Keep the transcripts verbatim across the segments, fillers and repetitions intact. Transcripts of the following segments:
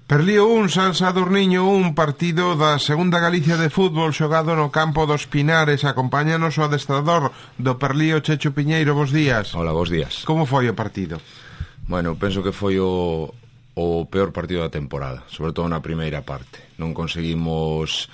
Perlío un, San Sadurniño un, partido da Segunda Galicia de fútbol xogado no campo dos Pinares. Acompáñanos o adestrador do Perlío, Checho Piñeiro. Bos días. Hola, bos días. Como foi o partido? Bueno, penso que foi o, o peor partido da temporada, sobre todo na primeira parte. Non conseguimos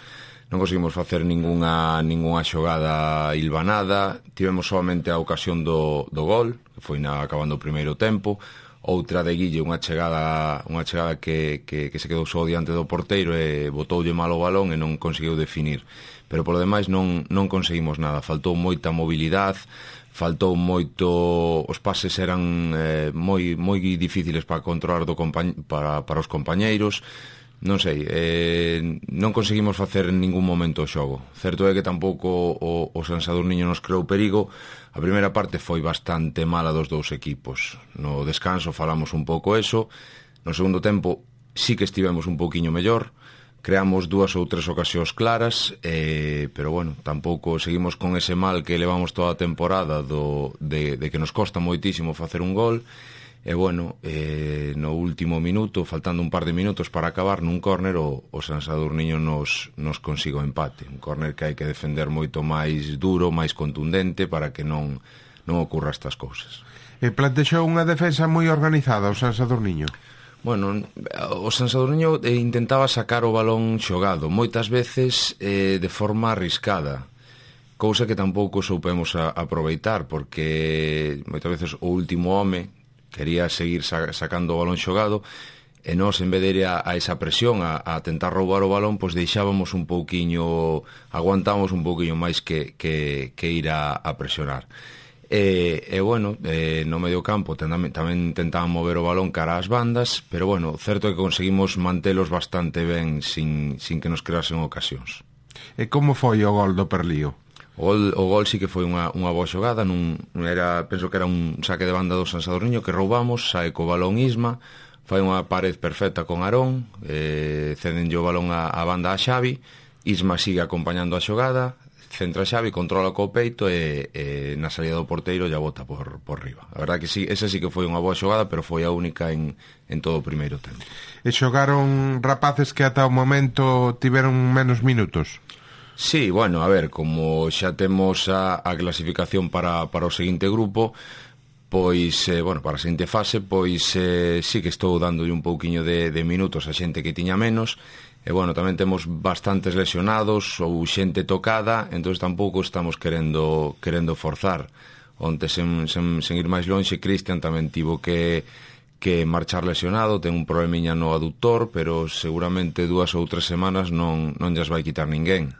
non conseguimos facer ningunha ningunha xogada hilvanada. Tivemos solamente a ocasión do, do gol, que foi na, acabando o primeiro tempo. Outra de Guille, unha chegada unha chegada que, que, que se quedou só diante do porteiro e botoulle mal o balón e non conseguiu definir. Pero por lo demais non, non conseguimos nada. Faltou moita mobilidade, faltou moito... Os pases eran eh, moi moi difíciles para controlar do compañ... para, para os compañeiros. Non sei, eh, non conseguimos facer en ningún momento o xogo. Certo é que tampouco o, o San Sadurniño nos creou perigo. A primeira parte foi bastante mala dos dous equipos. No descanso falamos un pouco eso. No segundo tempo sí que estivemos un pouquiño mellor. Creamos dúas ou tres ocasións claras, eh, pero bueno, tampouco seguimos con ese mal que levamos toda a temporada do, de, de que nos costa moitísimo facer un gol. E bueno, eh, no último minuto, faltando un par de minutos para acabar, nun córner o, o San Sadurniño nos, nos consigo empate. Un córner que hai que defender moito máis duro, máis contundente, para que non, non ocurra estas cousas. E plantexou unha defensa moi organizada o San Sadurniño? Bueno, o San Sadurniño eh, intentaba sacar o balón xogado, moitas veces eh, de forma arriscada, cousa que tampouco soupemos a, aproveitar, porque moitas veces o último home quería seguir sacando o balón xogado e nós, en vez de ir a, a esa presión a, a tentar roubar o balón, pois deixábamos un pouquiño, aguantamos un pouquiño máis que, que, que ir a, a presionar. E, e bueno, e, no medio campo tamén, tamén intentaban mover o balón cara ás bandas, pero bueno, certo é que conseguimos mantelos bastante ben sin, sin que nos creasen ocasións. E como foi o gol do Perlío? O gol, o gol sí que foi unha, unha boa xogada, nun, era, penso que era un saque de banda do San Sadurniño que roubamos, sae co balón Isma, fai unha pared perfecta con Arón, eh, cedenlle o balón a, a banda a Xavi, Isma sigue acompañando a xogada, centra Xavi, controla co peito e, e na salida do porteiro ya bota por, por riba. A verdad que sí, esa sí que foi unha boa xogada, pero foi a única en, en todo o primeiro tempo. E xogaron rapaces que ata o momento tiveron menos minutos? Sí, bueno, a ver, como xa temos a, a clasificación para, para o seguinte grupo, pois, eh, bueno, para a seguinte fase, pois eh, sí que estou dándolle un pouquiño de, de minutos a xente que tiña menos, e bueno, tamén temos bastantes lesionados ou xente tocada, entón tampouco estamos querendo querendo forzar. Onte, sen, sen, sen ir máis lonxe, Cristian tamén tivo que, que marchar lesionado, ten un problemiña no aductor, pero seguramente dúas ou tres semanas non, non llas vai quitar ninguén.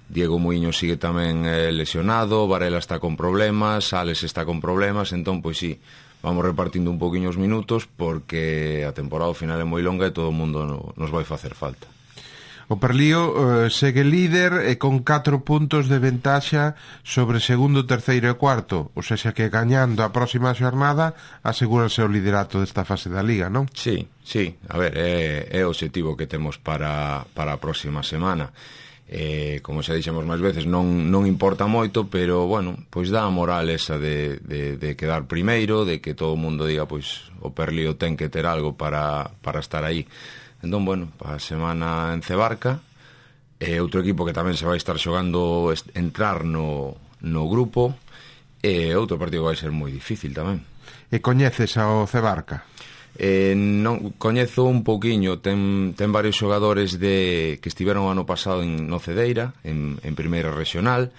Diego Muiño sigue tamén eh, lesionado, Varela está con problemas, Alex está con problemas, entón, pois sí, vamos repartindo un poquinho os minutos porque a temporada ao final é moi longa e todo o mundo no, nos vai facer falta. O Perlío eh, segue líder e con catro puntos de ventaxa sobre segundo, terceiro e cuarto, ou seja que gañando a próxima xornada asegúrase o liderato desta fase da Liga, non? Sí, sí, a ver, é, é o objetivo que temos para, para a próxima semana. Eh, como xa dixemos máis veces, non, non importa moito, pero, bueno, pois dá a moral esa de, de, de quedar primeiro, de que todo o mundo diga, pois, o Perlío ten que ter algo para, para estar aí. Entón, bueno, para a semana en Cebarca, e outro equipo que tamén se vai estar xogando entrar no, no grupo, e outro partido que vai ser moi difícil tamén. E coñeces ao Cebarca? Eh, non, coñezo un pouquiño, ten, ten varios xogadores de, que estiveron ano pasado en no Cedeira, en, en primeira regional,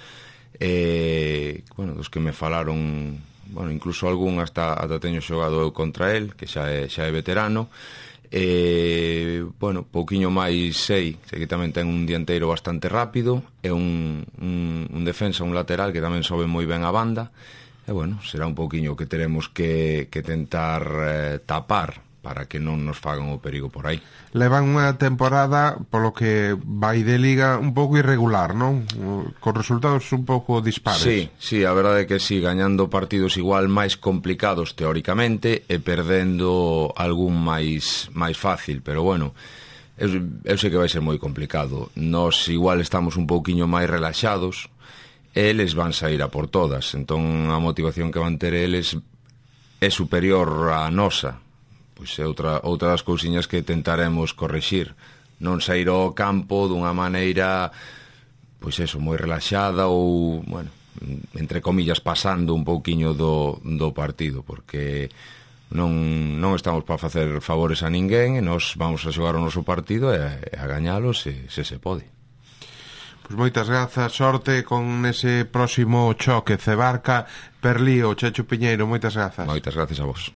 eh, bueno, dos que me falaron, bueno, incluso algún hasta, hasta teño xogado eu contra el, que xa é, xa é veterano. Eh, bueno, pouquiño máis sei, sei que tamén ten un dianteiro bastante rápido e un, un, un defensa, un lateral que tamén sobe moi ben a banda. E bueno, será un pouquiño que teremos que, que tentar eh, tapar para que non nos fagan o perigo por aí. Levan unha temporada, polo que vai de Liga, un pouco irregular, non? Con resultados un pouco dispares. Sí, sí, a verdade é que sí, gañando partidos igual máis complicados teóricamente e perdendo algún máis máis fácil, pero bueno, eu, eu sei que vai ser moi complicado. Nós igual estamos un pouquiño máis relaxados, eles van sair a por todas, entón a motivación que van ter eles é superior á nosa, pois é outra, outra das cousiñas que tentaremos correxir, non sair ao campo dunha maneira pois eso, moi relaxada ou, bueno, entre comillas pasando un pouquiño do, do partido, porque non, non estamos para facer favores a ninguén e nos vamos a xogar o noso partido e a, e a gañalo se, se se pode. Pois moitas grazas, sorte con ese próximo choque Cebarca Perlío. Checho Piñeiro, moitas grazas. Moitas grazas a vos.